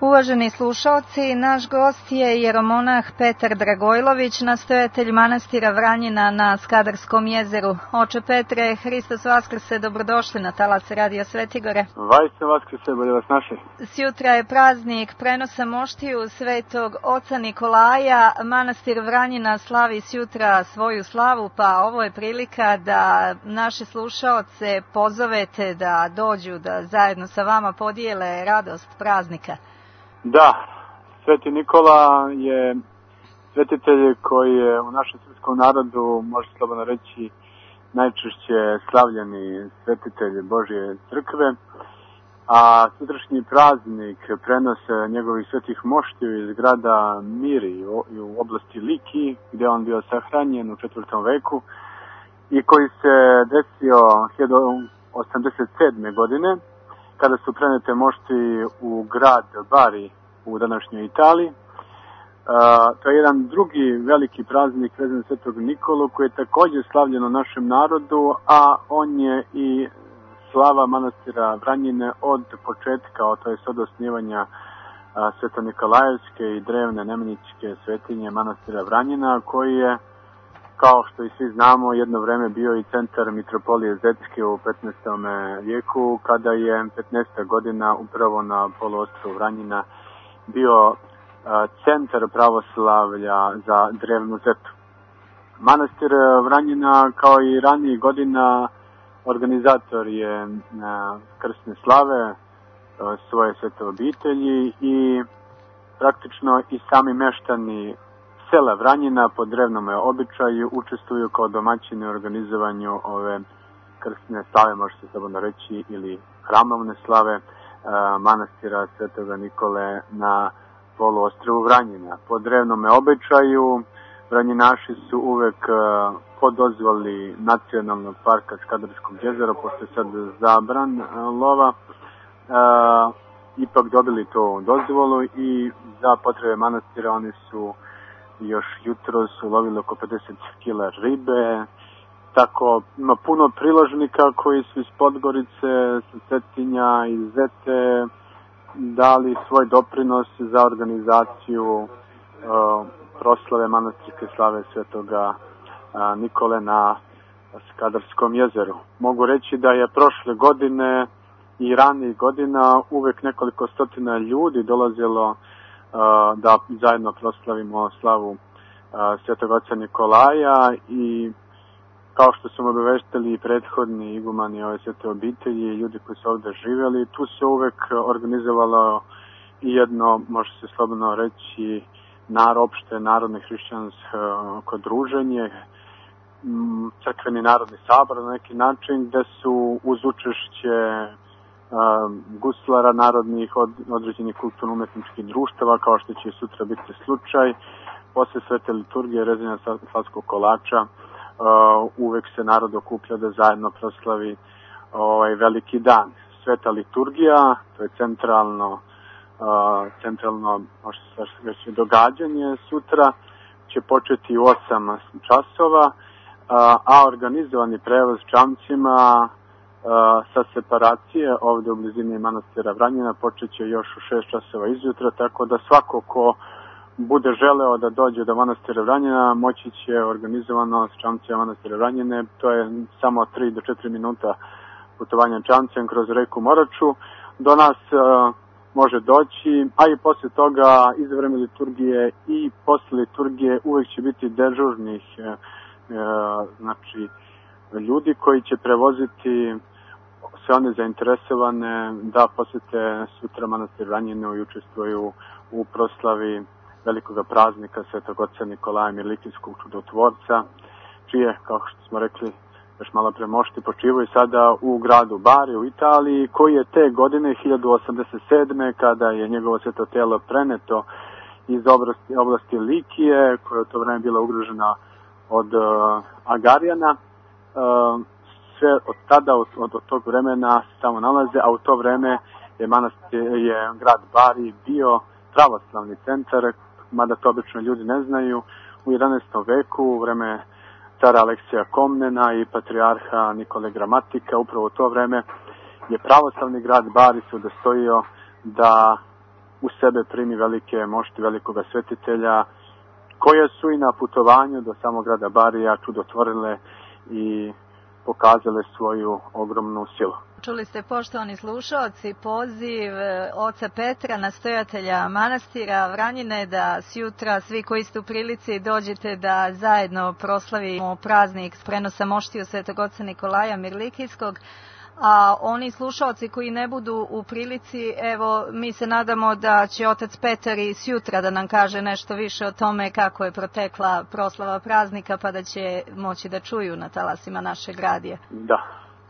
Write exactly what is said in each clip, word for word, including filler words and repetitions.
Uvaženi slušaoci, naš gost je jeromonah Petar Dragojlović, nastojatelj manastira Vranjina na Skadarskom jezeru. Oče Petre, Hristos Vaskrse, dobrodošli na talas Radio Svetigore. Vajse Vaskrse, bolje vas naše. Sjutra je praznik prenosa moštiju svetog oca Nikolaja. Manastir Vranjina slavi sjutra svoju slavu, pa ovo je prilika da naše slušaoce pozovete da dođu, da zajedno sa vama podijele radost praznika. Da, Sveti Nikola je svetitelj koji je u našem srpskom narodu, može slobodno reći, najčešće slavljeni svetitelj Božje crkve, a sutrašnji praznik prenose njegovih svetih moštiju iz grada Miri u oblasti Liki, gdje on bio sahranjen u četvrtom veku i koji se desio hiljadu osamdeset sedme. godine, kada su prenete mošti u grad Bari u današnjoj Italiji. E, to je jedan drugi veliki praznik vezan za Svetog Nikolu koji je također slavljen u našem narodu, a on je i slava manastira Vranjine od početka, to je od osnivanja Sveto-Nikolajevske i drevne nemeničke svetinje manastira Vranjina, koji je, kao što i svi znamo, jedno vreme bio i centar mitropolije Zetske u petnaestom vijeku, kada je petnaesta godina upravo na poluostrvu Vranjina bio centar pravoslavlja za drevnu Zetu. Manastir Vranjina, kao i ranijih godina, organizator je krsne slave svoje svete obitelji i praktično i sami meštani sela Vranjina po drevnom običaju učestvuju kao domaćini u organizovanju ove krsne slave, može se slobodno reći, ili hramovne slave manastira Svetoga Nikole na poluostrvu Vranjina. Po drevnom običaju Vranjinaši su uvek po dozvoli nacionalnog parka Skadarskog jezera, pošto je sad zabran lova, ipak dobili to dozvolu i za potrebe manastira oni su još jutro su lovili oko pedeset kila ribe. Tako ima puno priložnika koji su iz Podgorice, sa Cetinja i Zete dali svoj doprinos za organizaciju uh, proslave manastirske slave Svetoga uh, Nikole na Skadarskom jezeru. Mogu reći da je prošle godine i ranijih godina uvek nekoliko stotina ljudi dolazilo uh, da zajedno proslavimo slavu uh, Svetog oca Nikolaja i kao što su obaveštali i prethodni igumani ove svete obitelji i ljudi koji su ovdje živjeli, tu se uvek organizovalo i jedno, može se slobodno reći, nar, opšte narodno hrišćansko druženje, crkveni narodni sabor na neki način, gde su uz učešće um, guslara narodnih od, određenih kulturno-umetničkih društava, kao što će sutra biti slučaj, posle svete liturgije rezanja slavskog kolača, Uh, uvek se narod okuplja da zajedno proslavi ovaj veliki dan. Sveta liturgija, to je centralno uh, centralno može se reći događanje sutra, će početi u osam časova, uh, a organizovani prevoz čamcima uh, sa separacije ovdje u blizini manastira Vranjina počeće još u šest časova izjutra, tako da svako ko bude želeo da dođe do manastira Vranjina, moći će organizovano s čamcima manastira Vranjine. To je samo tri do četiri minuta putovanja čamcem kroz reku Moraču. Do nas uh, može doći, a i posle toga, iz vreme liturgije i posle liturgije, uvek će biti dežurnih uh, uh, znači, ljudi koji će prevoziti sve one zainteresovane da posete sutra manastir Vranjinu i učestvuju u proslavi velikoga praznika Svetog oca Nikolaja Mirlikijskog čudotvorca, čije, kao što smo rekli, još malo pre mošti počivaju sada u gradu Bari u Italiji, koji je te godine hiljadu osamdeset sedme. kada je njegovo sveto telo preneto iz oblasti, oblasti Likije, koja je u to vreme bila ugrožena od uh, Agarijana. Uh, sve od tada, od, od tog vremena se tamo nalaze, a u to vreme je, manastir, je grad Bari bio pravoslavni centar, mada to obično ljudi ne znaju. U jedanaestom veku, u vreme cara Aleksija Komnena i patrijarha Nikole Gramatika, upravo u to vreme je pravoslavni grad Bari se udostojio da u sebe primi velike mošti velikoga svetitelja, koje su i na putovanju do samog grada Barija čudotvorile i pokazale svoju ogromnu silu. Čuli ste, poštovani slušaoci, poziv oca Petra, nastojatelja manastira Vranjine, da sjutra svi koji ste u prilici dođete da zajedno proslavimo praznik prenosa moštiju svetog oca Nikolaja Mirlikijskog. A oni slušaoci koji ne budu u prilici, evo, mi se nadamo da će otac Petar i sjutra da nam kaže nešto više o tome kako je protekla proslava praznika, pa da će moći da čuju na talasima našeg radija. Da.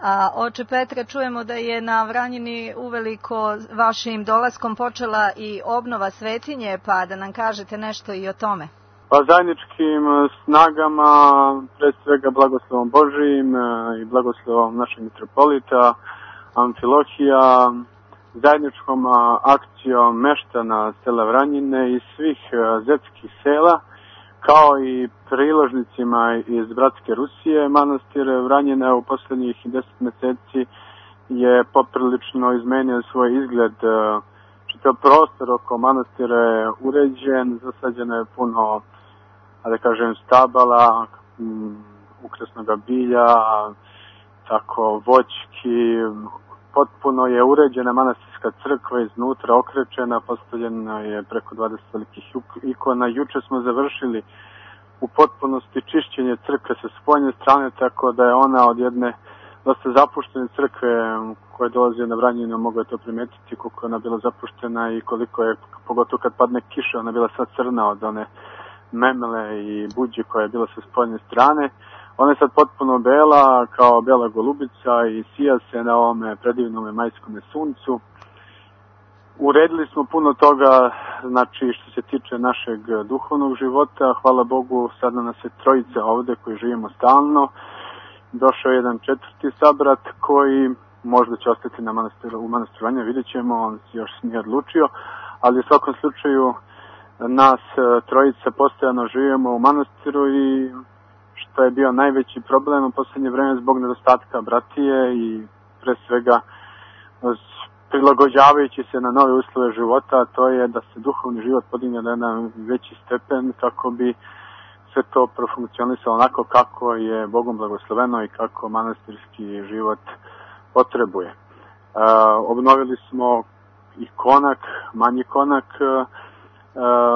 A oče Petre, čujemo da je na Vranjini uveliko vašim dolaskom počela i obnova svetinje, pa da nam kažete nešto i o tome. Pa zajedničkim snagama, pre svega blagoslovom Božijim i blagoslovom našeg mitropolita Amfilohija, zajedničkom akcijom meštana sela Vranjine i svih zetskih sela, kao i priložnicima iz bratske Rusije, manastir Vranjine u poslednjih deset meseci je poprilično izmenio svoj izgled. Čitav prostor oko manastira je uređen, zasađeno je puno, da kažem, stabala, ukrasnog bilja, tako voćki. Potpuno je uređena manastirska crkva iznutra, okrečena, postavljena je preko dvadeset velikih ikona. Juče smo završili u potpunosti čišćenje crkve sa spoljne strane, tako da je ona od jedne dosta zapuštene crkve koje dolaze na Vranjinu, mogu je to primetiti koliko je ona bila zapuštena i koliko je, pogotovo kad padne kiša, ona bila sad crna od one memele i buđe koja je bila sa spoljne strane. Ona je sad potpuno bela, kao bela golubica i sija se na ovome predivnome majskome suncu. Uredili smo puno toga, znači što se tiče našeg duhovnog života. Hvala Bogu, sada nas je trojica ovde koji živimo stalno. Došao je jedan četvrti sabrat koji možda će ostati na manastiru, u manastiru Vranjine, vidjet ćemo, on se još nije odlučio, ali u svakom slučaju nas trojica postojano živimo u manastiru i što je bio najveći problem u poslednje vreme zbog nedostatka bratije i pre svega prilagođavajući se na nove uslove života, to je da se duhovni život podigne na jedan veći stepen kako bi sve to profunkcionisalo onako kako je Bogom blagosloveno i kako manastirski život potrebuje. E, obnovili smo i konak, manji konak e,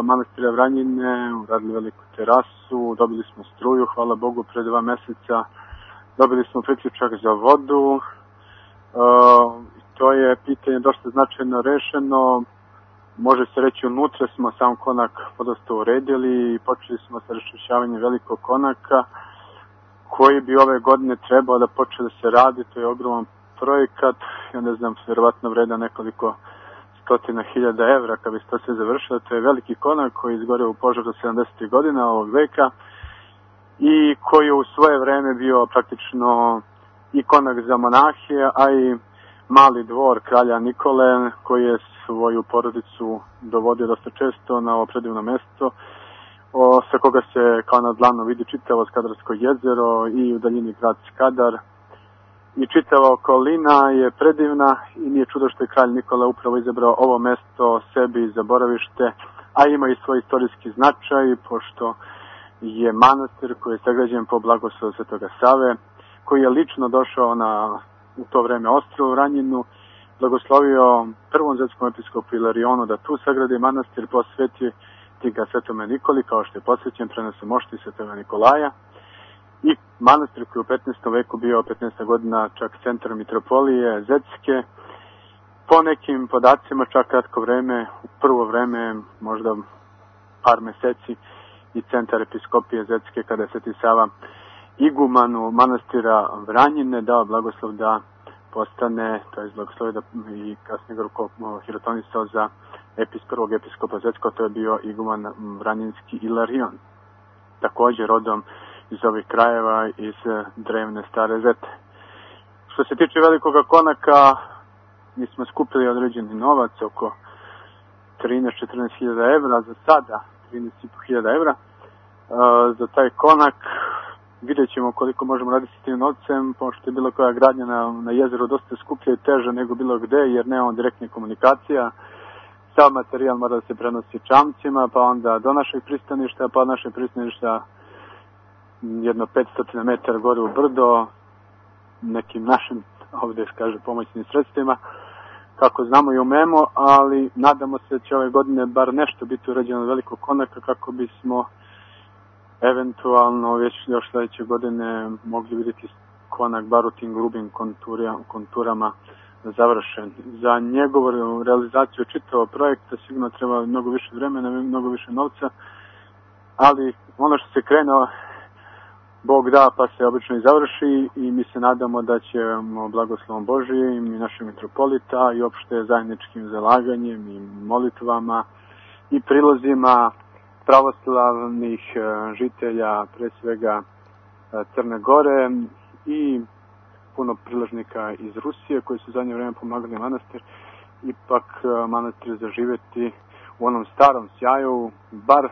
manastira Vranjine, uradili veliku terasu, dobili smo struju, hvala Bogu, pre dva meseca. Dobili smo priključak za vodu. E, to je pitanje dosta značajno rešeno. Može se reći, unutra smo sam konak podosta uredili i počeli smo sa raščišćavanjem velikog konaka koji bi ove godine trebao da počne da se radi. To je ogroman projekat, ja ne znam, vjerovatno vreda nekoliko stotina hiljada evra kad bi se to sve završilo. To je veliki konak koji je izgoreo u požaru sedamdesetih godina ovog veka i koji je u svoje vreme bio praktično i konak za monahe, a i mali dvor kralja Nikole koji je svoju porodicu dovodio dosta često na ovo predivno mesto, o, sa koga se kao na dlanu vidi čitavo Skadarsko jezero i u daljini grad Skadar. I čitava okolina je predivna i nije čudo što je kralj Nikola upravo izabrao ovo mesto sebi za boravište, a ima i svoj istorijski značaj, pošto je manastir koji je sagrađen po blagoslovu Svetoga Save, koji je lično došao na u to vreme ostrvo Vranjinu, blagoslovio prvom zvetskom episkopu Ilarionu da tu sagradi manastir, posveti ga Svetome Nikoli, kao što je posvećen prenosom mošti Svetoga Nikolaja. I manastir koji je u petnaestom veku bio petnaesta godina čak centar mitropolije Zetske, po nekim podacima čak kratko vreme, u prvo vreme, možda par meseci, i centar episkopije Zetske, kada je Sveti Sava igumanu manastira Vranjine dao blagoslov da postane, to je blagoslov da i kasnije ga hirotonisao za epis, prvog episkopa Zetskog, to je bio iguman Vranjinski Ilarion, također rodom iz ovih krajeva, iz drevne stare Zete. Što se tiče velikoga konaka, mi smo skupili određeni novac, oko trinaest do četrnaest hiljada evra za sada, trinaest i po hiljada evra, za taj konak. Vidjet ćemo koliko možemo raditi s tim novcem, pošto je bilo koja gradnja na, na jezeru dosta skuplja i teža nego bilo gde, jer nemamo direktne komunikacija sav materijal mora da se prenosi čamcima, pa onda do našeg pristaništa, pa od našeg pristaništa jedno petsto metara gore u brdo, nekim našim, ovdje kaže, pomoćnim sredstvima, kako znamo i umemo, ali nadamo se da će ove godine bar nešto biti urađeno od velikog konaka kako bismo eventualno već još sledeće godine mogli vidjeti konak bar u tim grubim konturama završen. Za njegovu realizaciju čitavog projekta sigurno treba mnogo više vremena, mnogo više novca, ali ono što se krenuo, Bog da, pa se obično i završi i mi se nadamo da ćemo blagoslovom Božijim i našeg mitropolita i opšte zajedničkim zalaganjem i molitvama i prilozima pravoslavnih žitelja, pre svega Crne Gore i puno priložnika iz Rusije koji su zadnje vreme pomagali manastir, ipak manastir zaživeti u onom starom sjaju, bar,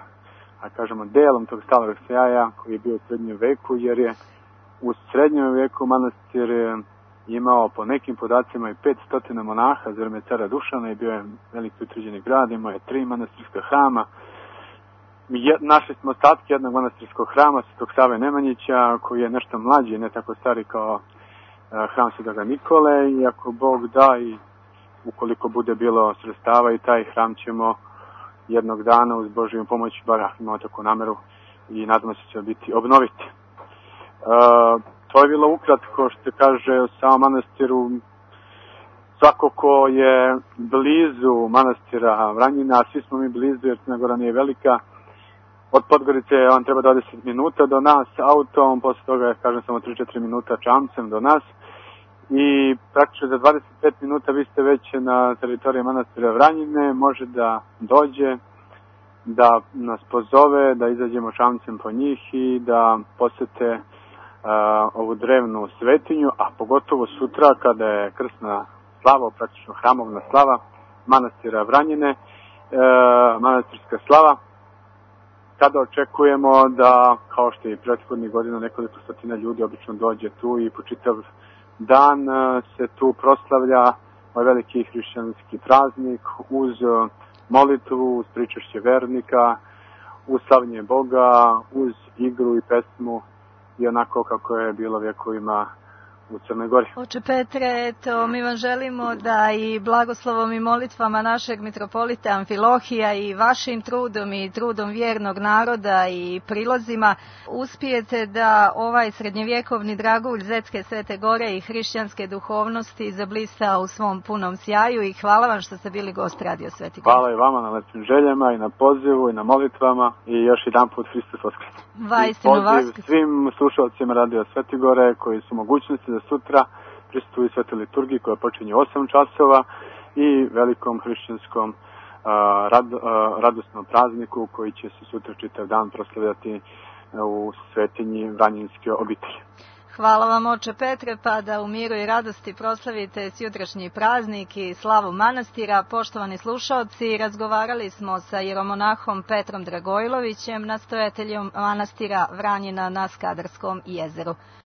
a kažemo, delom tog starog sjaja koji je bio u srednjem veku, jer je u srednjem veku manastir imao po nekim podacima i petsto monaha za vreme cara Dušana i bio je veliki utvrđeni grad, imao je tri manastirska hrama. Našli smo ostatke jednog manastirskog hrama, Svetog Save Nemanjića, koji je nešto mlađi, ne tako stari kao hram Svetoga Nikole, i ako Bog da i ukoliko bude bilo sredstava i taj hram ćemo jednog dana uz Božiju pomoć, bar imamo takvu nameru i nadamo se će biti obnoviti. E, to je bilo ukratko što se kaže o samom manastiru. Svako ko je blizu manastira Vranjina, svi smo mi blizu jer Crna Gora nije velika, od Podgorice on treba dvadeset minuta do nas autom, posle toga je, kažem, samo tri do četiri minuta čamcem do nas i praktično za dvadeset pet minuta vi ste već na teritoriji manastira Vranjine, može da dođe, da nas pozove, da izađemo čamcem po njih i da posete uh, ovu drevnu svetinju, a pogotovo sutra kada je krsna slava, praktično hramovna slava manastira Vranjine, uh, manastirska slava, kada očekujemo da, kao što je i prethodnih godina, nekoliko stotina ljudi obično dođe tu i po čitav dan se tu proslavlja ovaj veliki hrišćanski praznik uz molitvu, uz pričašće vernika, uz slavljenje Boga, uz igru i pesmu i onako kako je bilo vjekovima u Crnoj Gori. Oče Petre, eto, mi vam želimo da i blagoslovom i molitvama našeg mitropolita Amfilohija i vašim trudom i trudom vjernog naroda i prilozima uspijete da ovaj srednjevjekovni dragulj Zetske Svete Gore i hrišćanske duhovnosti zablista u svom punom sjaju i hvala vam što ste bili gost Radio Sveti Gor. Hvala i vama na lepim željama i na pozivu i na molitvama i još jedan put Hristos Voskrs. Vajstinu Voskrs. Svim slušalcima Radio Sveti Gore koji su mogućnosti da sutra prisustvuju svetoj liturgiji koja počinje u osam časova i velikom hrišćanskom a, rad, a, radosnom prazniku koji će se sutra čitav dan proslavljati u svetinji Vranjinske obitelji. Hvala vam, oče Petre, pa da u miru i radosti proslavite sjutrašnji praznik i slavu manastira. Poštovani slušaoci, razgovarali smo sa jeromonahom Petrom Dragojlovićem, nastojateljom manastira Vranjina na Skadarskom jezeru.